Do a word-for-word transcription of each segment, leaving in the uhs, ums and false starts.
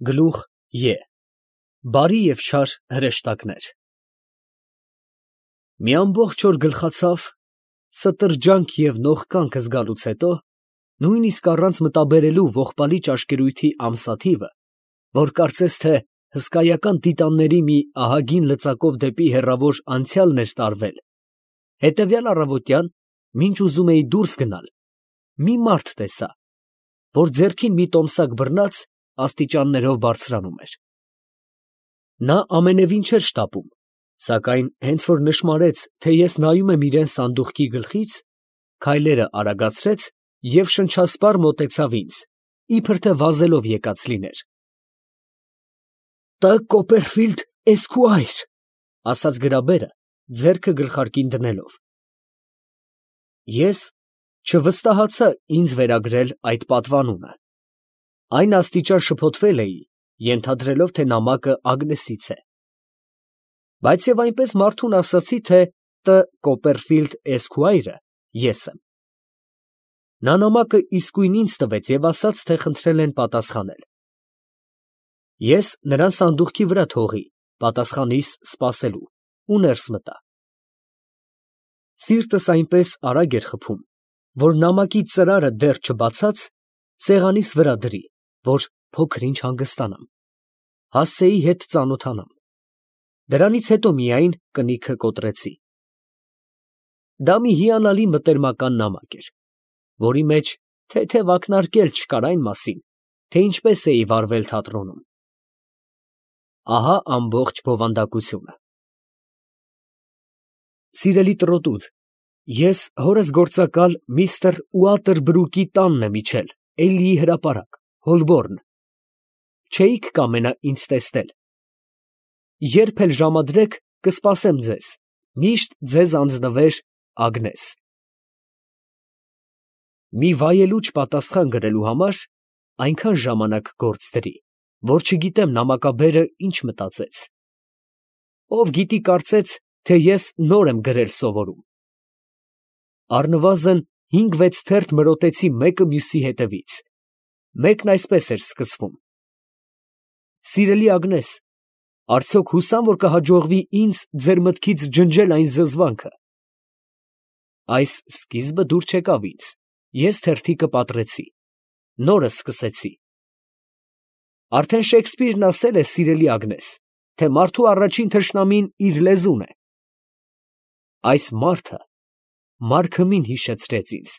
Գլուխ Ե Բարի և չար հրեշտակներ։ Մի ամբողջ օր գլխացավ, ստրջանք և նողկանք զգալուց հետո, նույնիսկ առանց մտաբերելու ողբալի ճաշկերույթի ամսաթիվը, որ կարծես թե հսկայական տիտանների մի ահագին լծակով դեպի հեռավոր անցյալն էր տարվել, հետևյալ առավոտյան, մինչ ուզում էի դուրս գնալ, մի մարդ տեսա, որ ձեռքին մի տոմսակ բռնած աստիճաններով բարձրանում էր։ Նա ամենևին չէր շտապում, սակայն հենց որ նշմարեց, թե ես նայում եմ իրան սանդուղքի գլխից, քայլերը արագացրեց և շնչասպառ մոտեցավ ինձ, իբր թե վազելով եկած լիներ։ ֊ Տ. Կոպերֆիլդ Էսքուայր, ֊ ասաց գրաբերը, ձեռքը գլխարկին դնելով։ Ես չվստահացա ինձ վերագրել այդ պատվանունը. այն աստիճան շփոթվել էի, ենթադրելով, թե նամակը Ագնեսից է, բայց և այնպես մարդուն ասացի, թե Տ. Կոպերֆիլդ Էսքուայրը ես եմ։ Նա նամակը իսկույն ինձ տվեց և ասաց, թե խնդրել են պատասխանել։ Ես նրան սանդուղքի վրա թողի, պատասխանիս սպասելու, ու ներս մտա։ Սիրտս այնպես արագ էր խփում, որ նամակի ծրարը դեռ չբացած, սեղանիս վրա դրի, որ փոքր֊ինչ հանգստանամ, հասցեի հետ ծանոթանամ, դրանից հետո միայն կնիքը կոտրեցի։ Դա մի հիանալի մտերմական նամակ էր, որի մեջ թեթև ակնարկել չկար այն մասին, թե ինչպես էի վարվել թատրոնում։ Ահա ամբողջ բովանդակությունը։ Սիրելի տրոտուդ, ես հորս գործակալ միստր Ուատերբրուկի տանն եմ իջել, Էլլիի հրապարակ, Հոլբորն. չէիք կամենա ինձ տեսնել։ Երբ էլ ժամադրեք, կսպասեմ ձեզ, միշտ ձեզ անձնվեր Ագնես։ Մի վայելուչ պատասխան գրելու համար այնքան ժամանակ գործ դրի, որ չգիտեմ նամակաբերը ինչ մտածեց։ Ով գիտի, կարծեց, թե ես նոր եմ գրել սովորում։ Առնվազն հինգ֊վեց թերթ մրոտեցի մեկը մյուսի հետևից, մեկն այսպես էր սկսվում. Սիրելի Ագնես, արդյոք հուսամ, որ կհաջողվի ինձ ձեր մտքից ջնջել այն զզվանքը։ Այս սկիզբը դուր չեկավ ինձ, ես թերթիկը պատռեցի, նորը սկսեցի։ Արդեն Շեքսպիրն ասել է, սիրելի Ագնես, թե մարդու առաջին թշնամին իր լեզուն է։ Այս մարդը Մարքըմին հիշեցրեց ինձ,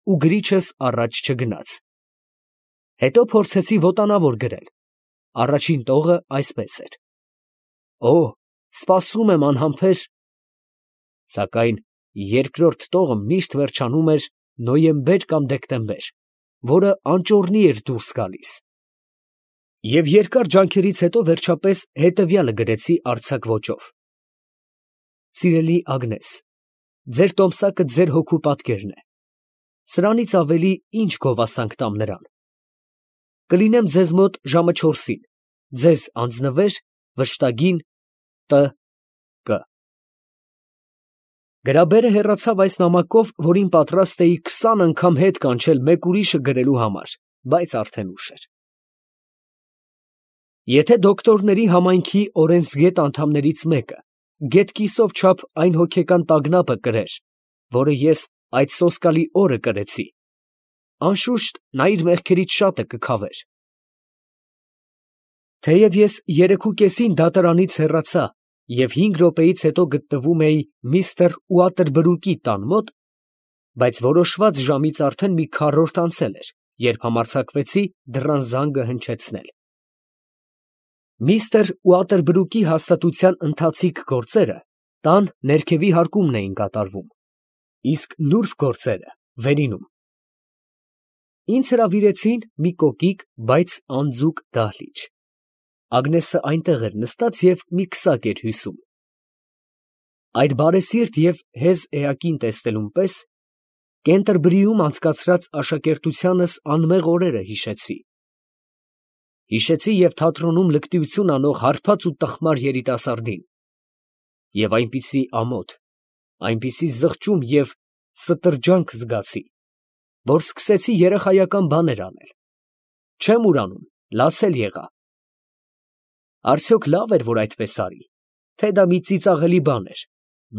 ու գրիչս առաջ չգնաց։ Հետո փորձեցի ոտանավոր գրել, առաջին տողը այսպես էր. Օ, սպասում եմ անհամբեր… Սակայն երկրորդ տողը միշտ վերջանում էր նոյեմբեր կամ դեկտեմբեր, որը անճոռնի էր դուրս գալիս։ Եվ երկար ջանքերից հետո վերջապես հետևյալը գրեցի արձակ ոճով. Սիրելի Ագնես, ձեր տոմսակը ձեր հոգու պատկերն է, սրանից ավելի ինչ գովասանք տամ նրան։ Կլինեմ ձեզ մոտ ժամը չորսին, ձեզ անձնվեր վշտագին Տ. Կ. Գրաբերը հեռացավ այս նամակով, որին պատրաստ էի քսան անգամ հետ կանչել մեկ ուրիշը գրելու համար, բայց արդեն ուշ էր։ Եթե դոկտորների համայնքի օրենսգետ անդամներից մեկը գետկիսով չափ այն հոգեկան տագնապը կրեր, որը ես այդ սոսկալի օրը կրեցի, անշուշտ նա իր մեղքերից շատը կքավեր։ Թեև ես երեքուկեսին դատարանից հեռացա և հինգ րոպեից հետո գտնվում էի միստր Ուատերբրուկի տան մոտ, բայց որոշված ժամից արդեն մի քառորդ անցել էր, երբ համարձակվեցի դռան զանգը հնչեցնել։ Միստր Ուատերբրուկի հաստատության ընթացիկ գործերը տան ներքևի հարկումն էին կատարվում, իսկ նուրբ գործերը վերինում։ Ինձ հրավիրեցին մի կոկիկ, բայց անձուկ դահլիճ։ Ագնեսը այնտեղ էր նստած և մի քսակ էր հյուսում։ Այդ բարեսիրտ և հեզ էակին տեսնելուն պես Կենտերբրիում անցկացրած աշակերտությանս անմեղ օրերը հիշեցի։ Հիշեցի և թատրոնում լկտիություն անող հարբած ու տխմար երիտասարդին, և այնպիսի ամոթ, այնպիսի զղջում և ստրջանք զգացի, որ սկսեցի երեխայական բաներ անել։ Չեմ ուրանում, լացել եղա, Արդյոք լավ էր, որ այդպես արի, թե դա մի ծիծաղելի բան էր,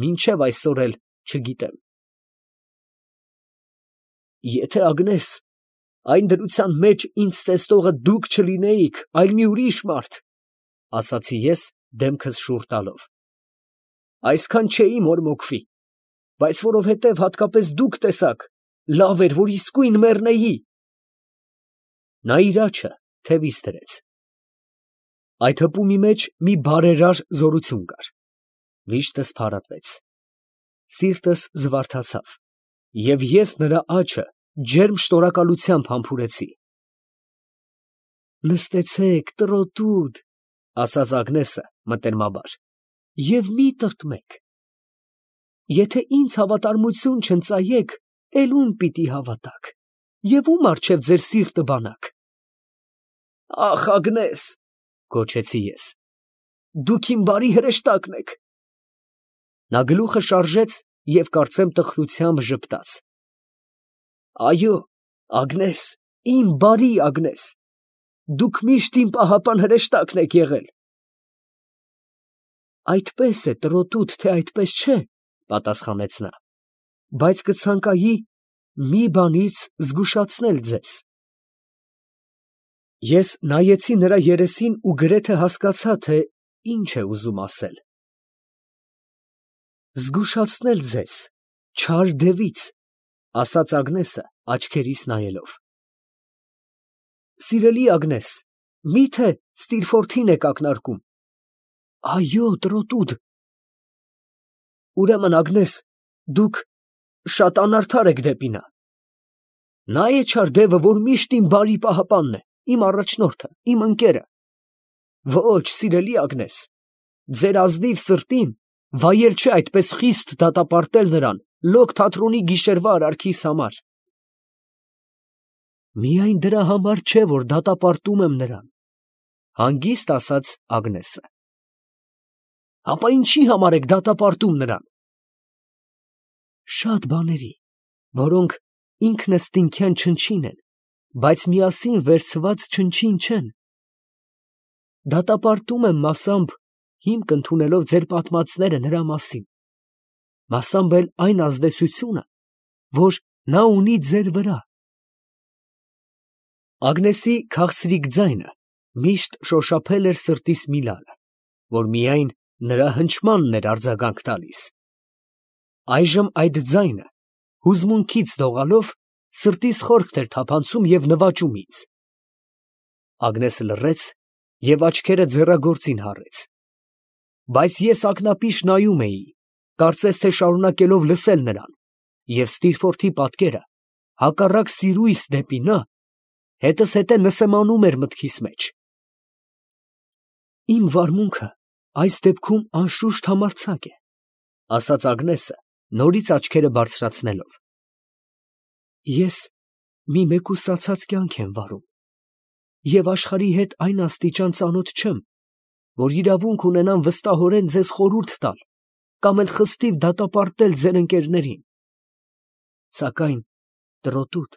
մինչև այսօր էլ չգիտեմ։ Եթե Ագնես, այն դրության մեջ ինձ տեսնողը դուք չլինեիք, այլ մի ուրիշ մարդ, ասացի ես դեմքս շուռ տալով, այսքան չէի մորմոքվի, բայց որովհետև հատկապես դուք տեսաք, լավ էր, որ իսկույն մեռնեի։ Նա իր աջը թևիս դրեց։ Այդ հպումի մեջ մի բարերար զորություն կար։ Վիշտս փարատվեց, սիրտս զվարթացավ, և ես նրա աջը ջերմ շնորհակալությամբ համբուրեցի։ Նստեցեք, տրոտուդ, ասաց Ագնեսը մտերմաբար, և մի տրտմեք։ Եթե ինձ հավատարմություն չընծայեք, էլ ում պիտի հավատաք, և ում առջև ձեր սիրտը բանաք։ Ախ, Ագնես, գոչեցի ես, դուք իմ բարի հրեշտակն եք։ Նա գլուխը շարժեց և կարծեմ տխրությամբ ժպտաց։ Այո, Ագնես, իմ բարի Ագնես, դուք միշտ իմ պահապան հրեշտակն եք եղել։ Այդպես է, տրոտուդ, թե այդպես չէ, պատասխանեց նա, բայց կցանկայի մի բանից զգուշացնել ձեզ։ Ես նայեցի նրա երեսին ու գրեթե հասկացա, թե ինչ է ուզում ասել։ Զգուշացնել ձեզ չար դևից, ասաց Ագնեսը աչքերիս նայելով։ Սիրելի Ագնես, մի՞թե Ստիրֆորթին եք ակնարկում։ Այո, տրոտուդ։ Ուրեմն, Ագնես, դուք շատ անարդար եք դեպի նա։ Նա է չար դևը, որ միշտ իմ բարի պահապանն է, իմ առաջնորդը, իմ ընկերը։ Ոչ, սիրելի Ագնես, ձեր ազնիվ սրտին վայել չէ այդպես խիստ դատապարտել նրան լոկ թատրոնի գիշերվա արարքիս համար։ Միայն դրա համար չէ, որ դատապարտում եմ նրան, հանգիստ ասաց Ագնեսը։ Ապա ինչի համար եք դատապարտում նրան։ Շատ բաների, որոնք ինքնըստինքյան չնչին են, բայց միասին վերցված չնչին չեն։ Դատապարտում եմ մասամբ հիմք ընդունելով ձեր պատմածները նրա մասին, մասամբ էլ այն ազդեցությունը, որ նա ունի ձեր վրա։ Ագնեսի քաղցրիկ ձայնը միշտ շոշափել էր սրտիս մի լարը, որ միայն նրա հնչմանն էր արձագանք տալիս։ Այժմ այդ ձայնը հուզմունքից դողալով սրտիս խորքն էր թափանցում և նվաճում ինձ։ Ագնեսը լռեց և աչքերը ձեռագործին հառեց։ Բայց ես ակնապիշ նայում էի, կարծես թե շարունակելով լսել նրան, և Ստիրֆորթի պատկերը, հակառակ սիրույս դեպի նա, հետզհետե նսեմանում էր մտքիս մեջ։ Իմ վարմունքը այս դեպքում անշուշտ համարձակ է, ասաց Ագնեսը, նորից աչքերը բարձրացնելով։ Ես մի մեկուսացած կյանք եմ վարում, և աշխարհի հետ այն աստիճան ծանոթ չեմ, որ իրավունք ունենամ վստահորեն ձեզ խորհուրդ տալ կամ էլ խստիվ դատապարտել ձեր ընկերներին։ Սակայն, տրոտուդ,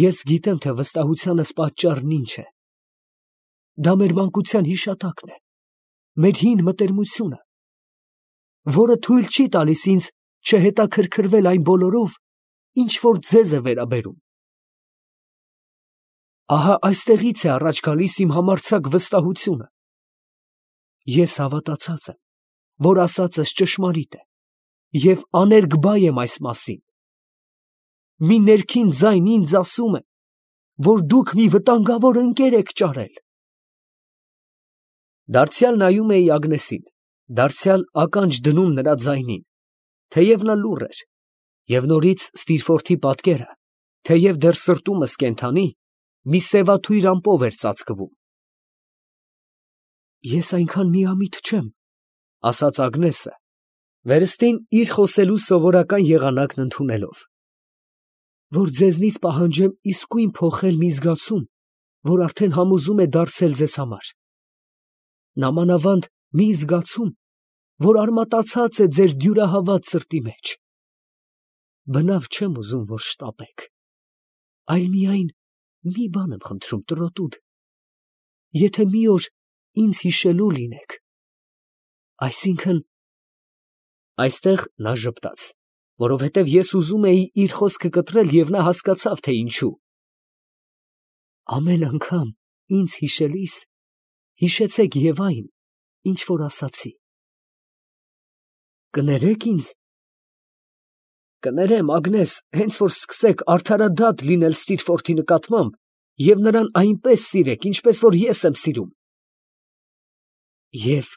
ես գիտեմ, թե վստահությանս պատճառն ինչ է։ Դա մեր մանկության հիշատակն է, մեր հին մտերմությունը, որը թույլ չի տալիս ինձ չհետաքրքրվել այն բոլորով, ինչ որ ձեզ է վերաբերում։ Ահա այստեղից է առաջ գալիս իմ համարձակ վստահությունը։ Ես հավատացած եմ, որ ասածս ճշմարիտ է, և աներկբա եմ այս մասին։ Մի ներքին ձայն ինձ ասում է, որ դուք մի վտանգավոր ընկեր եք ճարել։ Դարձյալ նայում էի Ագնեսին, դարձյալ ականջ դնում նրա ձայնին, թեև նա լուռ էր, և նորից Ստիրֆորթի պատկերը, թեև դեռ սրտումս կենդանի, մի սևաթույր ամպով էր ծածկվում։ Ես այնքան միամիտ չեմ, ասաց Ագնեսը, վերստին իր խոսելու սովորական եղանակն ընդունելով, որ ձեզնից պահանջեմ իսկույն փոխել մի զգացում, որ արդեն համոզում է դարձել ձեզ համար։ Նամանավանդ մի զգացում, որ արմատացած է ձեր դյուրահավատ սրտի մեջ։ Բնավ չեմ ուզում, որ շտապեք, այլ միայն մի բան եմ խնդրում, տրոտուդ, եթե մի օր ինձ հիշելու լինեք։ Այսինքն… Այստեղ նա ժպտաց, որովհետև ես ուզում էի իր խոսքը կտրել, և նա հասկացավ, թե ինչու։ Ամեն անգամ ինձ հիշելիս, հիշեցեք և այն, ինչ որ ասացի։ Կներե՞ք ինձ։ Կներեմ, Ագնես, հենց որ սկսեք արդարադատ լինել Ստիրֆորթի նկատմամբ և նրան այնպես սիրեք, ինչպես որ ես եմ սիրում։ Եվ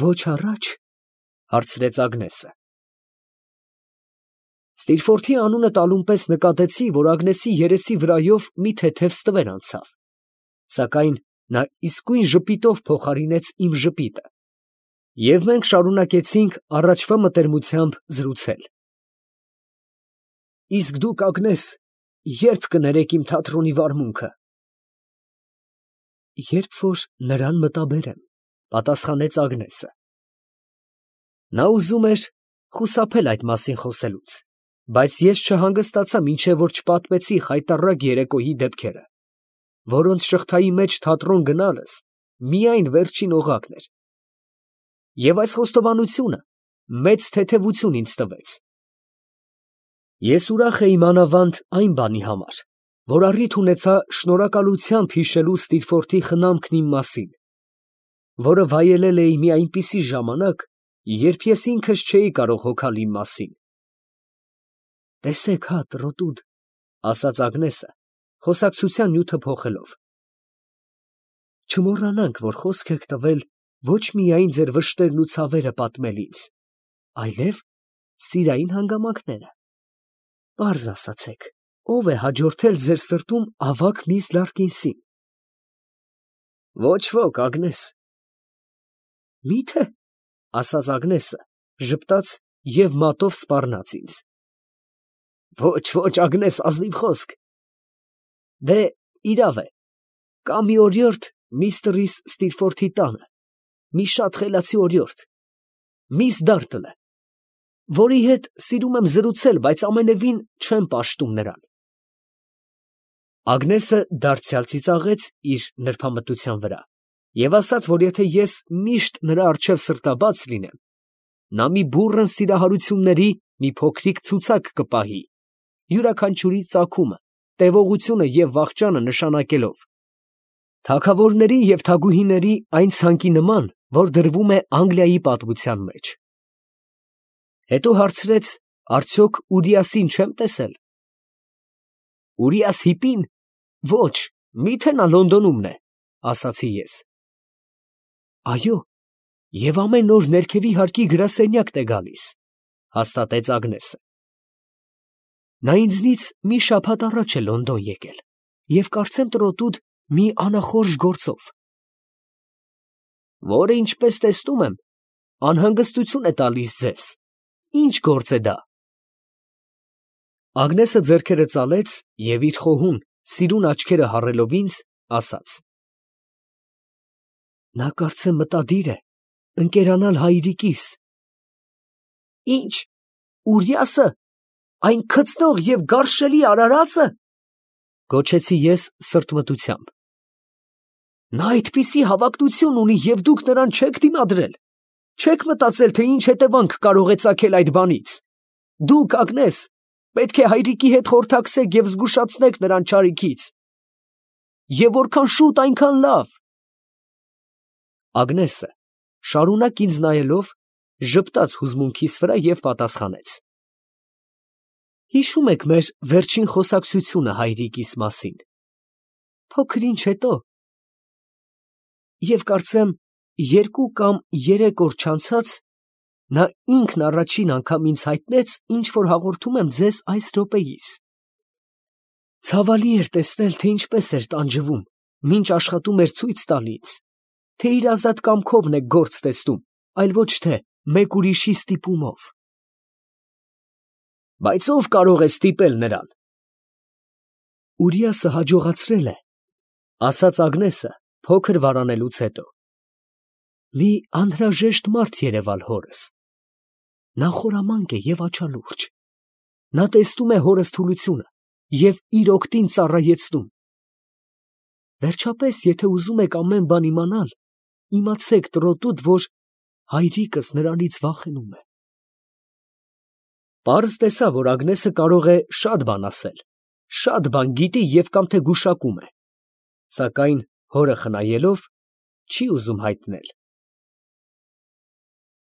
ոչ առաջ, հարցրեց Ագնեսը։ Ստիրֆորթի անունը տալուն պես նկատեցի, որ Ագնեսի երեսի վրայով մի թեթև ստվեր անցավ, սակայն նա իսկույն ժպիտով փոխարինեց իմ ժպիտը, և մենք շարունակեցինք առաջվա մտերմությամբ զրուցել։ Իսկ դուք, Ագնես, ե՞րբ կներեք իմ թատրոնի վարմունքը։ Երբ որ նրան մտաբերեմ, պատասխանեց Ագնեսը։ Նա ուզում էր խուսափել այդ մասին խոսելուց, բայց ես չհանգստացա, մինչև որ չպատմեցի խայտառակ երեկոյի դեպքերը, որոնց շղթայի մեջ թատրոն գնալս միայն վերջին օղակն էր։ Եվ այս խոստովանությունը մեծ թեթևություն ինձ տվեց։ Ես ուրախ էի մանավանդ այն բանի համար, որ առիթ ունեցա շնորհակալությամբ հիշելու Ստիրֆորթի խնամքն իմ մասին, որը վայելել էի մի այնպիսի ժամանակ, երբ ես ինքս չէի կարող հոգալ իմ մասին։ Տեսեք հա, տրոտուդ, ասաց Ագնեսը, խոսակցության նյութը փոխելով. չմոռանանք, որ խոսք եք տվել ոչ միայն ձեր վշտերն ու ցավերը պատմել ինձ, այլև սիրային հանգամանքները։ Պարզ ասացեք, ո՞վ է հաջորդել ձեր սրտում ավագ միս Լարկինսին։ Ոչ ոք, Ագնես։ Մի՞թե, ասաց Ագնեսը, ժպտաց և մատով սպառնաց ինձ։ Ոչ, ոչ, Ագնես, ազնիվ խոսք։ Դե, իրավ է, կա մի օրիորդ միստր Ստիրֆորթի տանը, մի շատ խելացի օրիորդ, միս Դարտլը, որի հետ սիրում եմ զրուցել, բայց ամենևին չեմ պաշտում նրան։ Ագնեսը դարձյալ ծիծաղեց իր նրբամտության վրա և ասաց, որ եթե ես միշտ նրա առջև սրտաբաց լինեմ, նա մի բուռն սիրահարությունների մի փոքրիկ ցուցակ կպահի, յուրաքանչյուրի ծագումը, տևողությունը և վախճանը նշանակելով, թագավորների և թագուհիների այն ցանկի նման, որ դրվում է Անգլիայի պատմության մեջ։ Հետո հարցրեց, արդյոք Ուրիասին չեմ տեսել։ Ուրիաս հիպի՞ն։ Ոչ, մի՞թե նա Լոնդոնում է, ասացի ես։ Այո, և ամեն օր ներքևի հարկի գրասենյակն է գալիս, հաստատեց Ագնեսը։ Նա ինձնից մի շաբաթ առաջ է Լոնդոն եկել և կարծեմ տրոտուդ մի անախորժ գործով, որը, ինչպես տեսնում եմ, անհանգստություն է տալիս ձեզ։ Ի՞նչ գործ է դա։ Ագնեսը ձեռքերը ծալեց և իր խոհուն, սիրուն աչքերը հառելով ինձ, ասաց. Նա կարծեմ մտադիր է ընկերանալ հայրիկիս։ Ի՞նչ, Ուրիասը, այն քծնող և գարշելի արարածը, գոչեցի ես սրտմտությամբ։ Նա այդպիսի հավակնություն ունի և դուք նրան չեք դիմադրել, չեք մտածել, թե ինչ հետևանք կարող է ծագել այդ բանից։ Դուք, Ագնես, պետք է հայրիկի հետ խորհրդակցեք և զգուշացնեք նրան չարիքից։ Եվ որքան շուտ, այնքան լավ։ Ագնեսը, շարունակ ինձ նայելով, ժպտաց հուզմունքիս վրա և պատասխանեց. Հիշում եք մեր վերջին խոսակցությունը հայրիկիս մասին։ Փոքր ինչ հետո։ Եվ կարծեմ, երկու կամ երեք օր չանցած, նա ինքն առաջին անգամ ինձ հայտնեց, ինչ որ հաղորդում եմ ձեզ այս րոպեիս։ Ցավալի էր տեսնել, թե ինչպես էր տանջվում, մինչ աշխատում էր ցույց տալ ինձ, թե իր ազատ կամքովն է գործ տեսնում, այլ ոչ թե մեկ ուրիշի ստիպումով։ Բայց ո՞վ կարող է ստիպել նրան։ Ուրիասը հաջողացրել է, ասաց Ագնեսը, փոքր վարանելուց հետո, մի անհրաժեշտ մարդ երևալ հորս։ Նա խորամանկ է և աչալուրջ։ Նա տեսնում է հորս թուլությունը և իր օգտին ծառայեցնում։ Վերջապես, եթե ուզում եք ամեն բան իմանալ, իմացեք տրոտուտ, որ հայրիկս նրանից վախենում է։ Պարզ տեսավ, որ Ագնեսը կարող է շատ բան ասել, շատ բան գիտի և կամ թե գուշակում է, սակայն հորը խնայելով, չի ուզում հայտնել։